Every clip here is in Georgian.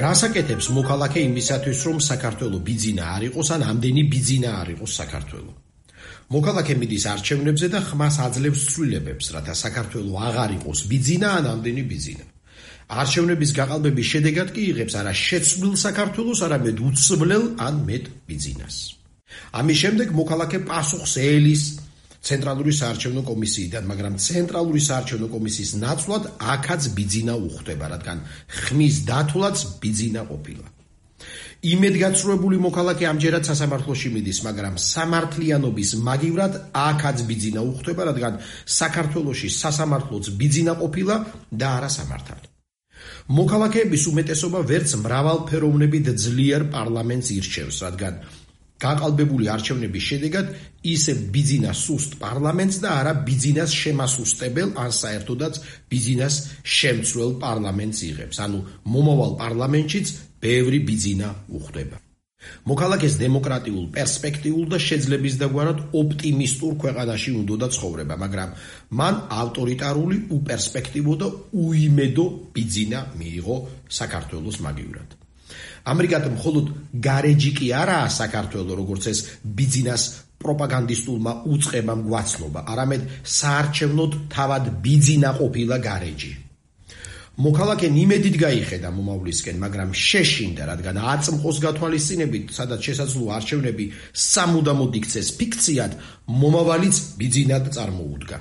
რასაკეთებს მოქალაქე იმისათვის, რომ საქართველო ბიძინა არ იყოს, ან ამდენი ბიძინა არ იყოს საქართველო. მოქალაქე მიდის არჩევნებზე და ხმას აძლევს ცვლილებებს, რათა საქართველო აღარ იყოს ბიძინა ან ამდენი ბიძინა. არჩევნების გაყალბების შედეგად კი იღებს არა შეცვლილ საქართველოს, არამედ უცვლელ ან მეტ ბიძინას. ამის შემდეგ მოქალაქე პასუხს ელის ცენტრალური საარჩევნო კომისიიდან, მაგრამ ცენტრალური საარჩევნო კომისიის ნაცვლად აქაც ბიძინა უხდება, რადგან ხმის დათვლაც ბიძინა ყოფილა. იმედგაცრუებული მოქალაქე ამჯერად სასამართლოში მიდის, მაგრამ სამართლიანობის მაგივრად აქაც ბიძინა უხდება, რადგან საქართველოში სასამართლოც ბიძინა ყოფილა და არა სამართალი. მოქალაქეების უმეტესობა ვერც მრავალფეროვნებით ძლიერ პარლამენტს ირჩევს, რადგან გაყალბებული არჩევნების შედეგად ისევ ბიძინას სუსტ პარლამენტს და არა ბიძინას შემასუსტებელ ან საერთოდაც ბიძინას შემცვლელ პარლამენტს იღებს, ანუ მომავალ პარლამენტშიც ბევრი ბიძინა უხდება. მოქალაქეს დემოკრატიულ, პერსპექტიულ და შეძლებისდაგვარად ოპტიმისტურ ქვეყანაში უნდოდა ცხოვრება, მაგრამ მან ავტორიტარული, უპერსპექტივო და უიმედო ბიძინა მიიღო საქართველოს მაგივრად. ამრიგად მხოლოდ გარეჯი კი არაა საქართველო, როგორც ეს ბიძინას პროპაგანდისტულმა უწყებამ გვაცნობა, არამედ საარჩევნოდ თავად ბიძინა ყოფილა გარეჯი. მოქალაქე იმედით გაიხედა მომავლისკენ, მაგრამ შეშინდა, რადგან აწმყოს გათვალისწინებით, სადაც შესაძლოა არჩევნები სამუდამოდ იქცეს ფიქციად, მომავალიც ბიძინად წარმოუდგა.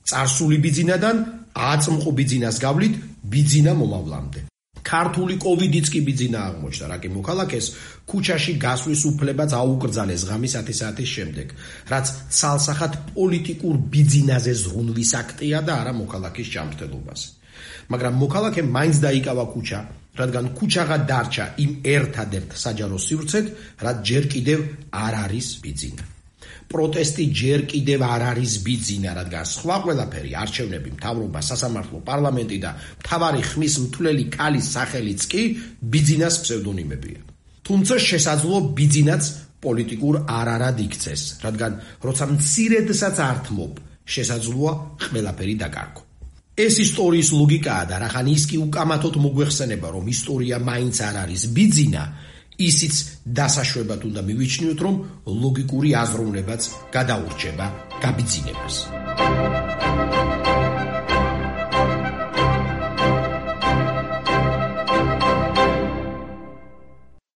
წარსული ბიძინადან აწმყო ბიძინას გავლით ბიძინა მომავლამდე. ქართული კოვიდიც კი ბიძინა აღმოჩნდა, რა კი მოქალაქეს ქუჩაში გასვლის უფლებაც აუკრძალეს ღამის 10 საათის შემდეგ, რაც ცალსახად პოლიტიკურ ბიძინაზე ზრუნვის აქტია და არა მოქალაქის ჯანმრთელობაზე. მაგრამ მოქალაქემ მაინც დაიკავა ქუჩა, რადგან ქუჩაღა დარჩა იმ ერთადერთ საჯარო სივრცედ, რაც ჯერ კიდევ არ არის ბიძინა. პროტესტი ჯერ კიდევ არ არის ბიძინა, რადგან სხვა ყველაფერი, არჩევნები, მთავრობა, სასამართლო, პარლამენტი და მთავარი ხმის მთვლელი ქალის სახელიც კი ბიძინას ფსევდონიმებია. თუმცა შესაძლოა ბიძინაც პოლიტიკურ არარად იქცეს, რადგან როცა მცირედსაც ართმობ, შესაძლოა ყველაფერი დაკარგო. ეს ისტორიის ლოგიკაა და რახან ის კი უკამათოდ მოგვეხსენება, რომ ისტორია მაინც არ არის ბიძინა, ისიც დასაშვებად უნდა მივიჩნიოთ, რომ ლოგიკური აზროვნებაც გადაურჩება გაბიძინებას.